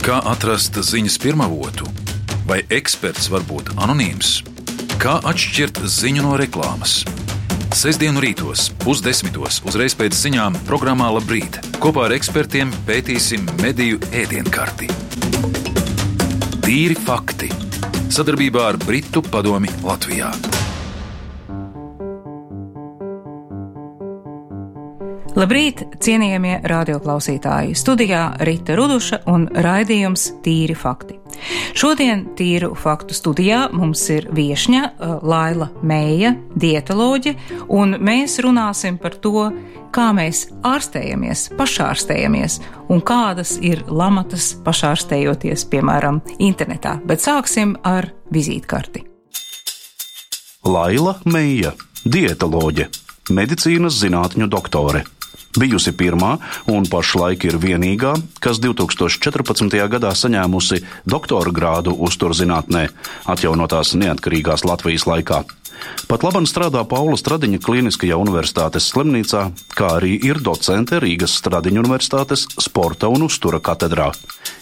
Kā atrast ziņas pirmavotu? Vai eksperts var būt anonīms? Kā atšķirt ziņu no reklāmas? Sestdienu rītos, 9:30, uzreiz pēc ziņām programmā Labrīt. Kopā ar ekspertiem pētīsim mediju ēdienkarti. Tīri fakti. Sadarbībā ar Britu padomi Latvijā. Labrīt, cienījamie radioklausītāji! Studijā Rita Ruduša un raidījums Tīri fakti. Šodien Tīru faktu studijā mums ir viešņa Laila Meija, dietoloģe, un mēs runāsim par to, kā mēs ārstējamies, pašārstējamies un kādas ir lamatas pašārstējoties, piemēram, internetā. Bet sāksim ar vizītkarti. Laila Meija, dietoloģe, medicīnas zinātņu doktore. Bijusi pirmā un pašlaik ir vienīgā, kas 2014. gadā saņēmusi doktora grādu uzturzinātnē, atjaunotās neatkarīgās Latvijas laikā. Pat labam strādā Paula Stradiņa Kliniskajā universitātes slimnīcā, kā arī ir docente Rīgas Stradiņa universitātes sporta un uztura katedrā.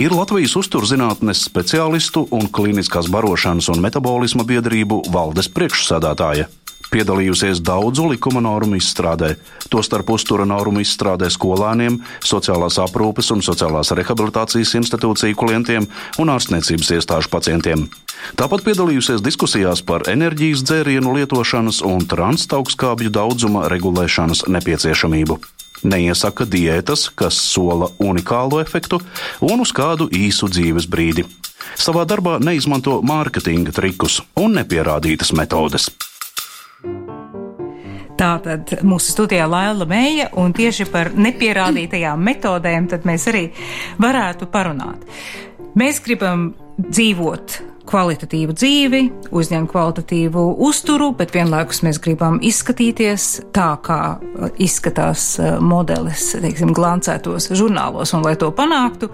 Ir Latvijas uzturzinātnes speciālistu un kliniskās barošanas un metabolisma biedrību valdes priekšsēdētāja. Piedalījusies daudzu likuma normu izstrādē, tostarp uztura normu izstrādē skolēniem, sociālās aprūpes un sociālās rehabilitācijas institūciju klientiem un ārstniecības iestāžu pacientiem. Tāpat piedalījusies diskusijās par enerģijas dzērienu lietošanas un transaugstskābju daudzuma regulēšanas nepieciešamību. Neiesaka diētas, kas sola unikālu efektu un uz kādu īsu dzīves brīdi. Savā darbā neizmanto mārketinga trikus un nepierādītas metodes. Tātad mūsu studijā Laila Meija, un tieši par nepierādītajām metodēm tad mēs arī varētu parunāt. Mēs gribam dzīvot kvalitatīvu dzīvi, uzņemt kvalitatīvu uzturu, bet vienlaikus mēs gribam izskatīties tā, kā izskatās modelis, teiksim, glancētos žurnālos, un lai to panāktu,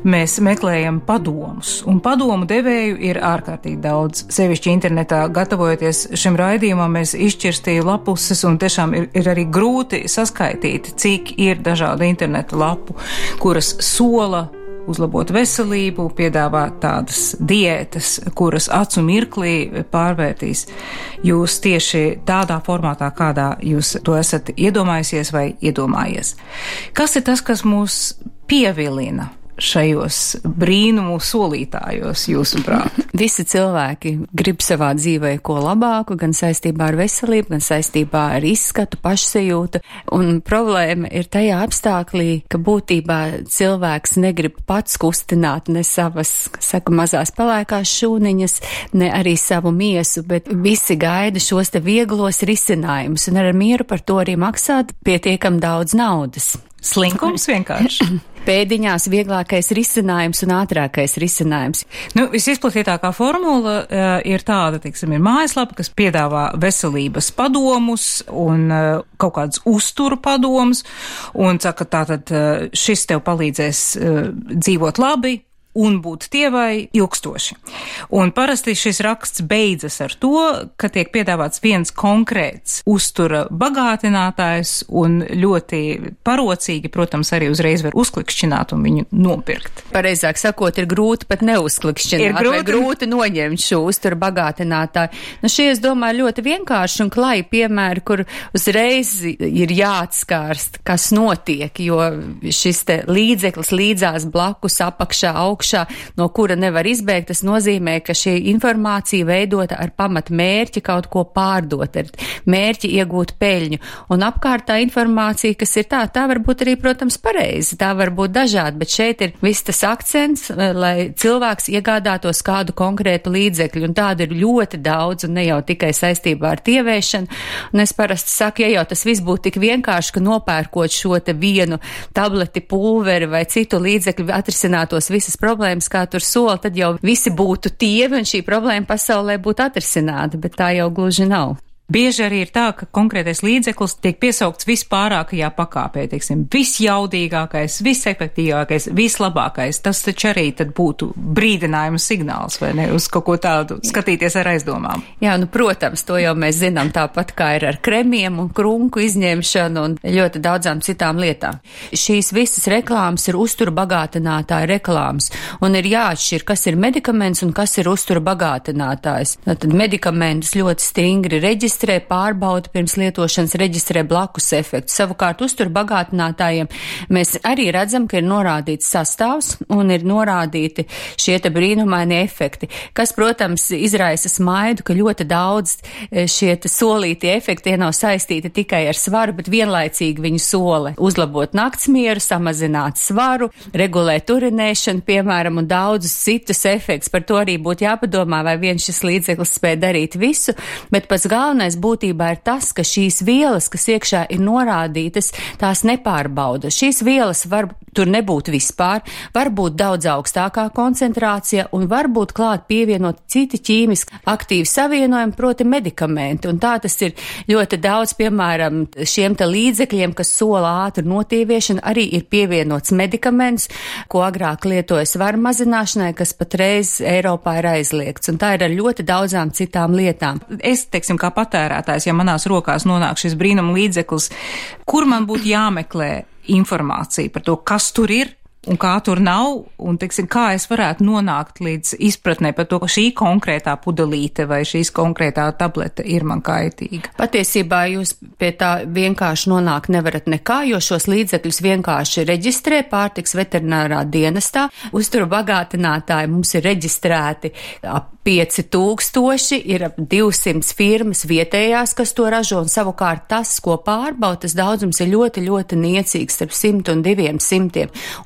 mēs meklējam padomus, un padomu devēju ir ārkārtīgi daudz. Sevišķi internetā, gatavojoties šim raidījumam, mēs izšķirstīju lapuses, un tiešām ir arī grūti saskaitīt, cik ir dažādu interneta lapu, kuras sola uzlabot veselību, piedāvāt tādas diētas, kuras acu mirklī pārvērtīs jūs tieši tādā formātā, kādā jūs to esat iedomājusies vai iedomājies. Kas ir tas, kas mūs pievilina šajos brīnumu solītājos, jūsuprāt? Visi cilvēki grib savā dzīvē ko labāku, gan saistībā ar veselību, gan saistībā ar izskatu, pašsajūtu, un problēma ir tajā apstāklī, ka būtībā cilvēks negrib pats kustināt ne savas, mazās pelēkās šūniņas, ne arī savu miesu, bet visi gaida šos te vieglos risinājumus, un ar mieru par to arī maksāt pietiekam daudz naudas. Slinkums vienkārši. Pēdiņās vieglākais risinājums un ātrākais risinājums. Visizplatītākā formula ir tāda, teiksim, ir mājaslapa, kas piedāvā veselības padomus un kaut kādas uzturu padomus, un saka, tātad šis tev palīdzēs dzīvot labi un būt tievai ilgstoši. Un parasti šis raksts beidzas ar to, ka tiek piedāvāts viens konkrēts uztura bagātinātājs un ļoti parocīgi, protams, arī uzreiz var uzklikšķināt un viņu nopirkt. Pareizāk sakot, ir grūti pat neuzklikšķināt vai grūti noņemt šo uztura bagātinātāju. Šie, es domāju, ļoti vienkārši un klai piemēri, kur uzreiz ir jāatskārst, kas notiek, jo šis te līdzeklis līdzās blakus apakšā augšā, no kura nevar izbēgt, tas nozīmē, ka šī informācija veidota ar pamat mērķi kaut ko pārdot, ar mērķi iegūt peļņu. Un apkārtā informācija, kas ir tā var būt arī, protams, pareizi, tā var būt dažāda, bet šeit ir viss tas akcents, lai cilvēks iegādātos kādu konkrētu līdzekļu, un tādu ir ļoti daudz, un ne jau tikai saistībā ar tievēšanu. Un es parasti saku, ja jau tas viss būtu tik vienkārši, ka nopērkot šo te vienu tableti, pulveri vai citu līdzekļu atrisinātos visas problēmas, kā tur sola, tad jau visi būtu tievi un šī problēma pasaulē būtu atrisināta, bet tā jau gluži nav. Bieži arī ir tā, ka konkrētais līdzeklis tiek piesaukts vispārākajā pakāpē, teiksim, visjaudīgākais, visefektīvākais, vislabākais. Tas taču arī tad būtu brīdinājuma signāls, vai ne, uz kaut ko tādu skatīties ar aizdomām. Jā, nu, protams, to jau mēs zinām tāpat kā ir ar kremiem un krunku izņemšanu un ļoti daudzām citām lietām. Šīs visas reklāmas ir uztura bagātinātāja reklāmas, un ir jāatšķir, kas ir medikaments un kas ir uztura bagātinātājs. Tad medikamentus ļoti stingri reģistrē, pārbauda pirms lietošanas, reģistrē blakus efektu. Savukārt uztur bagātinātājiem mēs arī redzam, ka ir norādīts sastāvs un ir norādīti šie te brīnumainie efekti, kas, protams, izraisa smaidu, ka ļoti daudz šie te solītie efekti nav saistīti tikai ar svaru, bet vienlaicīgi viņu sola uzlabot naktsmieru, samazināt svaru, regulēt urinēšanu, piemēram, un daudzus citus efektus. Par to arī būtu jāpadomā, vai viens šis līdzeklis spēj darīt visu, bet pats galvenais būtībā ir tas, ka šīs vielas, kas iekšā ir norādītas, tās nepārbauda. Šīs vielas var tur nebūt vispār, var būt daudz augstākā koncentrācija un var būt klāt pievienot citi ķīmiski aktīvi savienojumi, proti medikamenti. Un tā tas ir ļoti daudz, piemēram, šiem te līdzekļiem, kas sola ātru notīviešanu, arī ir pievienots medikaments, ko agrāk lietoja svaru mazināšanai, kas patreiz Eiropā ir aizliegts. Un tā ir ar ļoti daudzām citām lietām. Es, teiksim, kā patērētājs, ja manās rokās nonāk šis brīnuma līdzeklis, kur man būtu jāmeklē informācija par to, kas tur ir un kā tur nav, un, teiksim, kā es varētu nonākt līdz izpratnē par to, ka šī konkrētā pudelīte vai šīs konkrētā tablete ir man kaitīga. Patiesībā jūs pie tā vienkārši nonākt nevarat nekā, jo šos līdzekļus vienkārši reģistrē pārtiks veterinārā dienestā. Uzturu bagātinātāji mums ir reģistrēti ap 5000, ir ap 200 firmas vietējās, kas to ražo, un savukārt tas, ko pārbauda, tas daudzums ir ļoti, ļoti niecīgs, starp 100 un 200.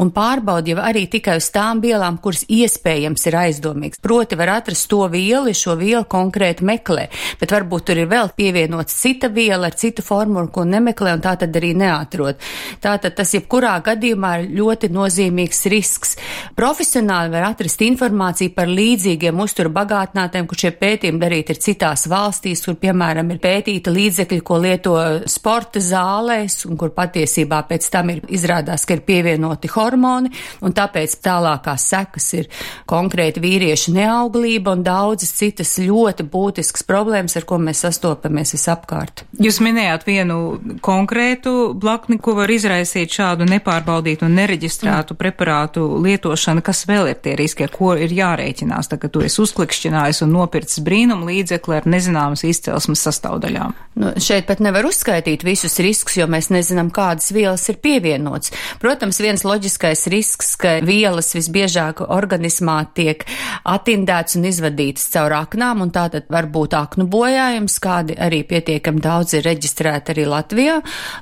Un pārbauda jau arī tikai uz tām vielām, kuras iespējams ir aizdomīgs. Proti var atrast to vielu, šo vielu konkrēti meklē, bet varbūt tur ir vēl pievienots cita viela ar citu formulu, ko nemeklē, un tā tad arī neatrod. Tātad tas jebkurā gadījumā ir ļoti nozīmīgs risks. Profesionāli var atrast informāciju par līdzīgiem uzturu bagātinātājiem, kur šie pētījumi darīti ir citās valstīs, kur, piemēram, ir pētīta līdzekļi, ko lieto sporta zālēs, un kur patiesībā pēc tam ir izrādās, ka ir pievienoti hormoni, un tāpēc tālākās sekas ir konkrēti vīriešu neauglība un daudzas citas ļoti būtiskas problēmas, ar ko mēs sastopamies visapkārt. Jūs minējāt vienu konkrētu blakni, ko var izraisīt šādu nepārbaudītu un nereģistrētu preparātu lietošanu. Kas vēl ir tie riski, ar ko ir jārēķinās, tagad tu esi uzklikšķinājis un nopircis brīnumu līdzekli ar nezināmas izcelsmes sastāvdaļām? Nu, šeit pat nevar uzskaitīt visus riskus, jo mēs nezinām, kādas vielas ir pievienots. Protams, viens loģiskais risks, ka vielas visbiežāk organismā tiek atindēts un izvadītas caur aknām, un tātad var būt aknu bojājums, kādi arī pietiekami daudz ir reģistrēti arī Latvijā,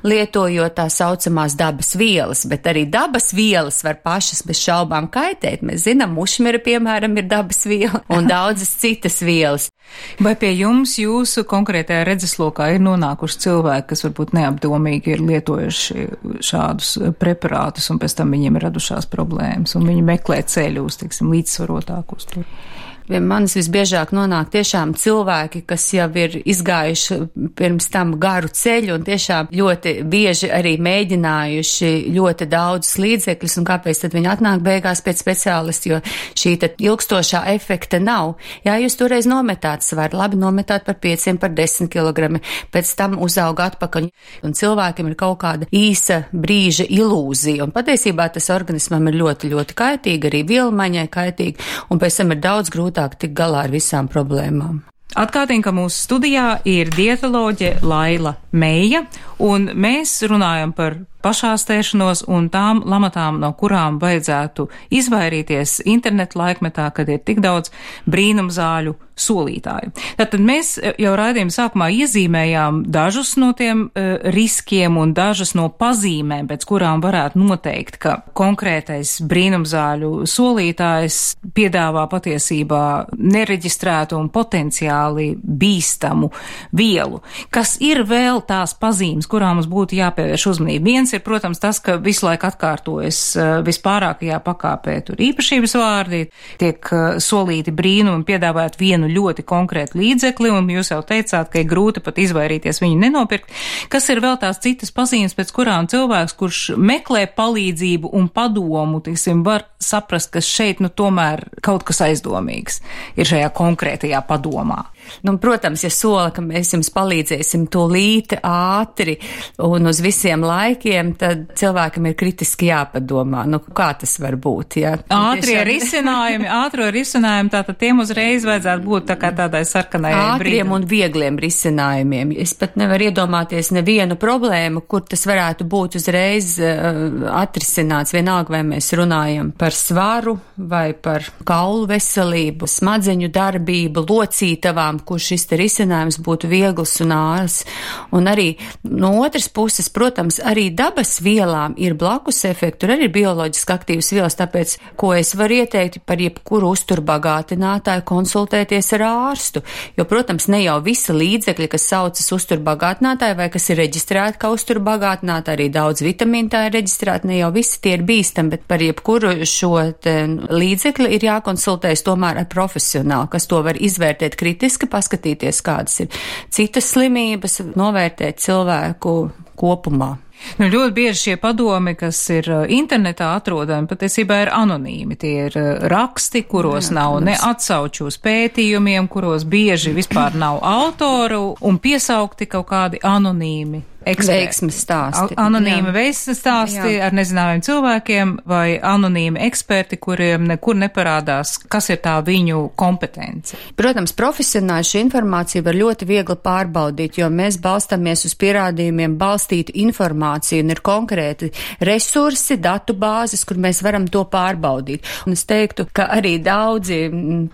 lietojot tā saucamās dabas vielas, bet arī dabas vielas var pašas bez šaubām kaitēt. Mēs zinām, mušmira, piemēram, ir dabas viela un daudzas citas vielas. Vai pie jums jūsu konkrētajā redzeslokā ir nonākuši cilvēki, kas varbūt neapdomīgi ir lietojuši šādus preparātus un pēc tam viņiem ir radušās problēmas un viņi meklē ceļu uz, teiksim, līdzsvarotāku uzturu? Pie manis visbiežāk nonāk tiešām cilvēki, kas jau ir izgājuši pirms tam garu ceļu un tiešām ļoti bieži arī mēģinājuši ļoti daudzus līdzekļus, un kāpēc tad viņi atnāk beigās pēc speciālisti, jo šī tad ilgstošā efekta nav. Jā, jūs toreiz nometāt svaru, labi nometāt par 5, par 10 kilogrami, pēc tam uzauga atpakaļ, un cilvēkiem ir kaut kāda īsa brīža ilūzija, un patiesībā tas organismam ir ļoti, ļoti kaitīgi, arī vielmaiņai kaitīgi, un pēc tam ir daudz grūtāk tik galā ar visām problēmām. Atgādinu, ka mūsu studijā ir dietoloģe Laila Meija, un mēs runājam par pašārstēšanos un tām lamatām, no kurām vajadzētu izvairīties internetu laikmetā, kad ir tik daudz brīnumzāļu solītāju. Tātad mēs jau raidījuma sākumā iezīmējām dažus no tiem riskiem un dažas no pazīmēm, pēc kurām varētu noteikt, ka konkrētais brīnumzāļu solītājs piedāvā patiesībā nereģistrētu un potenciāli bīstamu vielu. Kas ir vēl tās pazīmes, kurām mums būtu jāpievērš uzmanība? Viens Viens ir, protams, tas, ka visu laiku atkārtojas vispārākajā pakāpē tur īpašības vārdi, tiek solīti brīnumi, piedāvājot vienu ļoti konkrētu līdzekli, un jūs jau teicāt, ka ir grūti pat izvairīties viņu nenopirkt. Kas ir vēl tās citas pazīmes, pēc kurām cilvēks, kurš meklē palīdzību un padomu, tiksim, var saprast, ka šeit, tomēr kaut kas aizdomīgs ir šajā konkrētajā padomā? Protams, ja sola, ka mēs jums palīdzēsim tūlīt, ātri un uz visiem laikiem, tad cilvēkam ir kritiski jāpadomā. Kā tas var būt? Ja? Ātro risinājumi, tātad tiem uzreiz vajadzētu būt tā kā tādai sarkanai brīdam. Ātriem un viegliem risinājumiem. Es pat nevaru iedomāties nevienu problēmu, kur tas varētu būt uzreiz atrisināts. Vienalga, vai mēs runājam par svaru vai par kaulu veselību, smadzeņu darbību, locītavām, kur šis te risinājums būtu viegls un ārs. Un arī no otras puses, protams, arī dabas vielām ir blakus efekti, tur arī ir bioloģiski aktīvas vielas, tāpēc, ko es varu ieteikt par jebkuru uzturbagātinātāju, konsultēties ar ārstu. Jo, protams, ne jau visi līdzekļi, kas saucas uzturbagātinātāji vai kas ir reģistrēti kā uzturbagātinātāji, arī daudz vitamīnu tā ir reģistrēti, ne jau visi tie ir bīstami, bet par jebkuru šo līdzekli ir jākonsultējas tomēr ar profesionālu, kas to var izvērtēt kritiski, paskatīties, kādas ir citas slimības, novērtēt cilvēku kopumā. Ļoti bieži šie padomi, kas ir internetā atrodami, patiesībā ir anonīmi. Tie ir raksti, kuros nav ne atsauču uz pētījumiem, kuros bieži vispār nav autoru un piesaukti kaut kādi anonīmi veiksmes stāsti. Anonīmi veiksmes stāsti ar nezināmiem cilvēkiem vai anonīmi eksperti, kuriem nekur neparādās, kas ir tā viņu kompetence. Protams, profesionāli šī informācija var ļoti viegli pārbaudīt, jo mēs balstāmies uz pierādījumiem balstītu informāciju un ir konkrēti resursi, datu bāzes, kur mēs varam to pārbaudīt. Un es teiktu, ka arī daudzi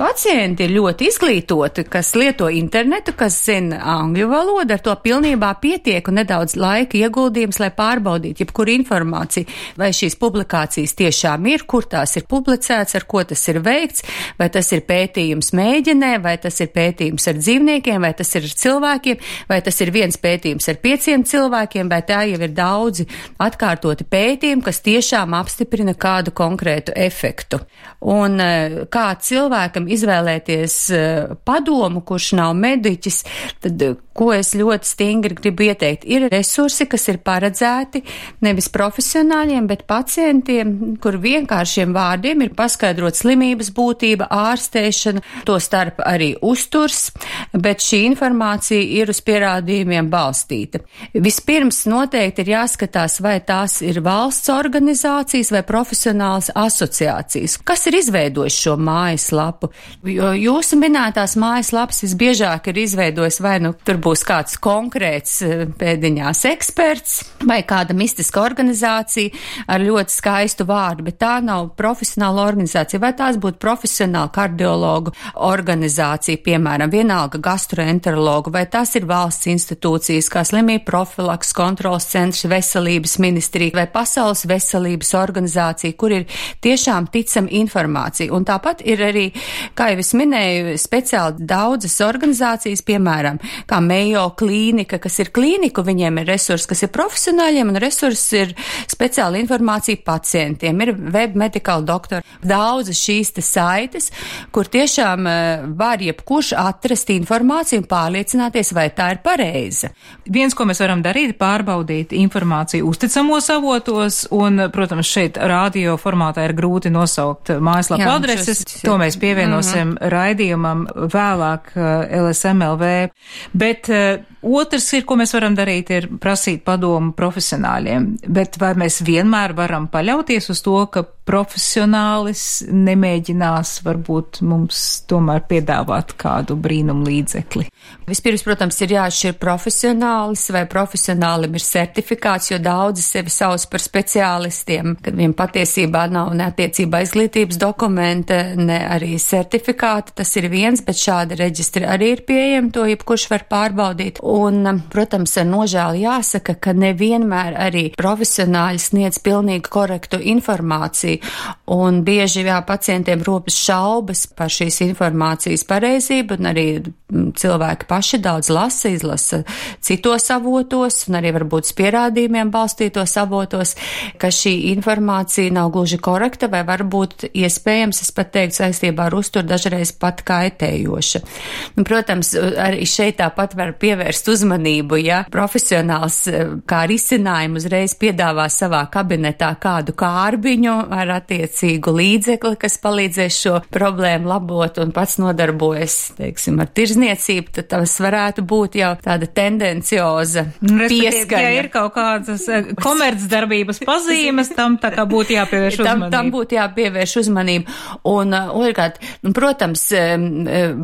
pacienti ir ļoti izglītoti, kas lieto internetu, kas zina angļu valodu, ar to pilnībā pietiek un nedaudz laika ieguldījums, lai pārbaudītu jebkuru informāciju, vai šīs publikācijas tiešām ir, kur tās ir publicēts, ar ko tas ir veikts, vai tas ir pētījums mēģinē, vai tas ir pētījums ar dzīvniekiem, vai tas ir ar cilvēkiem, vai tas ir viens pētījums ar 5 cilvēkiem, vai tā jau ir daudzi atkārtoti pētījumi, kas tiešām apstiprina kādu konkrētu efektu. Un kā cilvēkam izvēlēties padomu, kurš nav mediķis, tad ko es ļoti stingri gribu ieteikt, ir resursi, kas ir paredzēti nevis profesionāļiem, bet pacientiem, kur vienkāršiem vārdiem ir paskaidrot slimības būtība, ārstēšana, to starp arī uzturs, bet šī informācija ir uz pierādījumiem balstīta. Vispirms noteikti ir jāskatās, vai tās ir valsts organizācijas vai profesionālas asociācijas. Kas ir izveidojis šo mājaslapu? Jo jūsu minētās mājaslapas visbiežāk ir izveidojis vai tur būs kāds konkrēts pēdiņās eksperts vai kāda mistiska organizācija ar ļoti skaistu vārdu, bet tā nav profesionāla organizācija, vai tās būtu profesionāla kardiologu organizācija, piemēram, vienalga gastroenterologu, vai tās ir valsts institūcijas, kā slimību profilaks, kontrols centrs, veselības ministrija vai pasaules veselības organizācija, kur ir tiešām ticama informācija. Un tāpat ir arī, kā jau es minēju, speciāli daudzas organizācijas, piemēram, kā Mayo klīnika, kas ir klīniku, viņiem ir resursi, kas ir profesionāļiem, un resursi ir speciāla informācija pacientiem, ir web medical doktori. Daudzas šīs te saites, kur tiešām var jebkurš atrast informāciju un pārliecināties, vai tā ir pareiza. Viens, ko mēs varam darīt, pārbaudīt informāciju uzticamos avotos, un, protams, šeit radio formātā ir grūti nosaukt mājaslapu adreses. To mēs pievienosim raidījumam vēlāk LSMLV. Bet otrs ir, ko mēs varam darīt, ir prasīt padomu profesionāļiem. Bet vai mēs vienmēr varam paļauties uz to, ka profesionālis nemēģinās varbūt mums tomēr piedāvāt kādu brīnumu līdzekli? Vispirms, protams, ir jāatšķir profesionālis, vai profesionālim ir certifikāts, jo daudzi sevi sauc par speciālistiem, kad viņiem patiesībā nav ne attiecībā izglītības dokumenta, ne arī certifikāta. Tas ir viens, bet šāda reģistra arī ir pieejama, to jebkurš var pārbaudīt. Un, protams, ar nožēlu jāsaka, ka nevienmēr arī profesionāļi sniedz pilnīgi korektu informāciju, un bieži pacientiem ropas šaubas par šīs informācijas pareizību, un arī cilvēki paši daudz izlasa citos avotos, un arī varbūt pierādījumiem balstītos avotos, ka šī informācija nav gluži korekta, vai varbūt iespējams, es pat teiktu, saistībā ar uzturu dažreiz pat kaitējoša. Un, protams, arī šeit tāpat var pievērst uzmanību, ja profesionāls kā risinājumu uzreiz piedāvā savā kabinetā kādu kārbiņu ar attiecīgu līdzekli, kas palīdzēs šo problēmu labot un pats nodarbojas, teiksim, ar tirzniecību, tad tas varētu būt jau tāda tendencioza pieskaņa. Ja ir kaut kādas komercdarbības pazīmes, tam tā kā būtu jāpievērš uzmanību. Tam būtu jāpievērš uzmanību. Un, otrkārt, protams,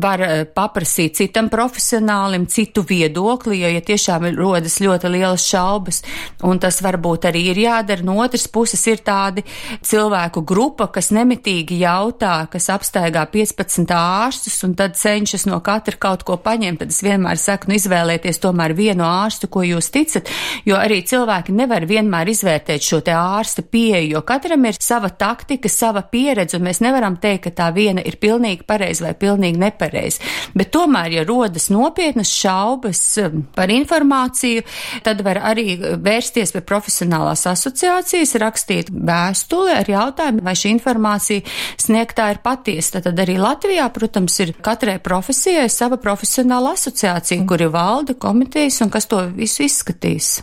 var paprasīt citam profesionālim citu viedokli, jo, ja tiešām rodas ļoti lielas šaubas, un tas varbūt arī ir jādara. No otras puses ir tādi cilvēku grupa, kas nemitīgi jautā, kas apstaigā 15 ārstus, un tad cenšas no katra kaut ko paņemt. Tad es vienmēr saku, izvēlēties tomēr vienu ārstu, ko jūs ticat, jo arī cilvēki nevar vienmēr izvērtēt šo te ārsta pieeju, jo katram ir sava taktika, sava pieredze, un mēs nevaram teikt, ka tā viena ir pilnīgi pareiza vai pilnīgi nepareiza. Bet tomēr, ja rodas nopietnas šaubas par informāciju, tad var arī vērsties pie profesionālās asociācijas, rakstīt vēstuli ar jautājumu, vai šī informācija sniegtā ir patiesa. Tad arī Latvijā, protams, ir katrai profesijai sava profesionāla asociācija, kuri valda komitejas un kas to visu izskatīs.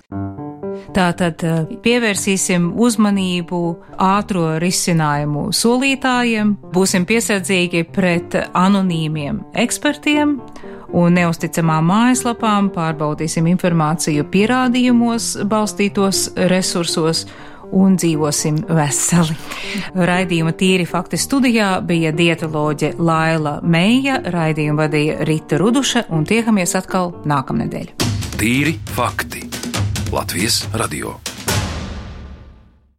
Tātad pievērsīsim uzmanību ātro risinājumu solītājiem, būsim piesardzīgi pret anonīmiem ekspertiem un neusticamām mājaslapām, pārbaudīsim informāciju pierādījumos balstītos resursos un dzīvosim veseli. Raidījuma Tīri fakti studijā bija dietoloģe Laila Meija, raidījumu vadīja Rita Ruduša, un tiekamies atkal nākamnedēļ. Tīri fakti. Latvijas radio.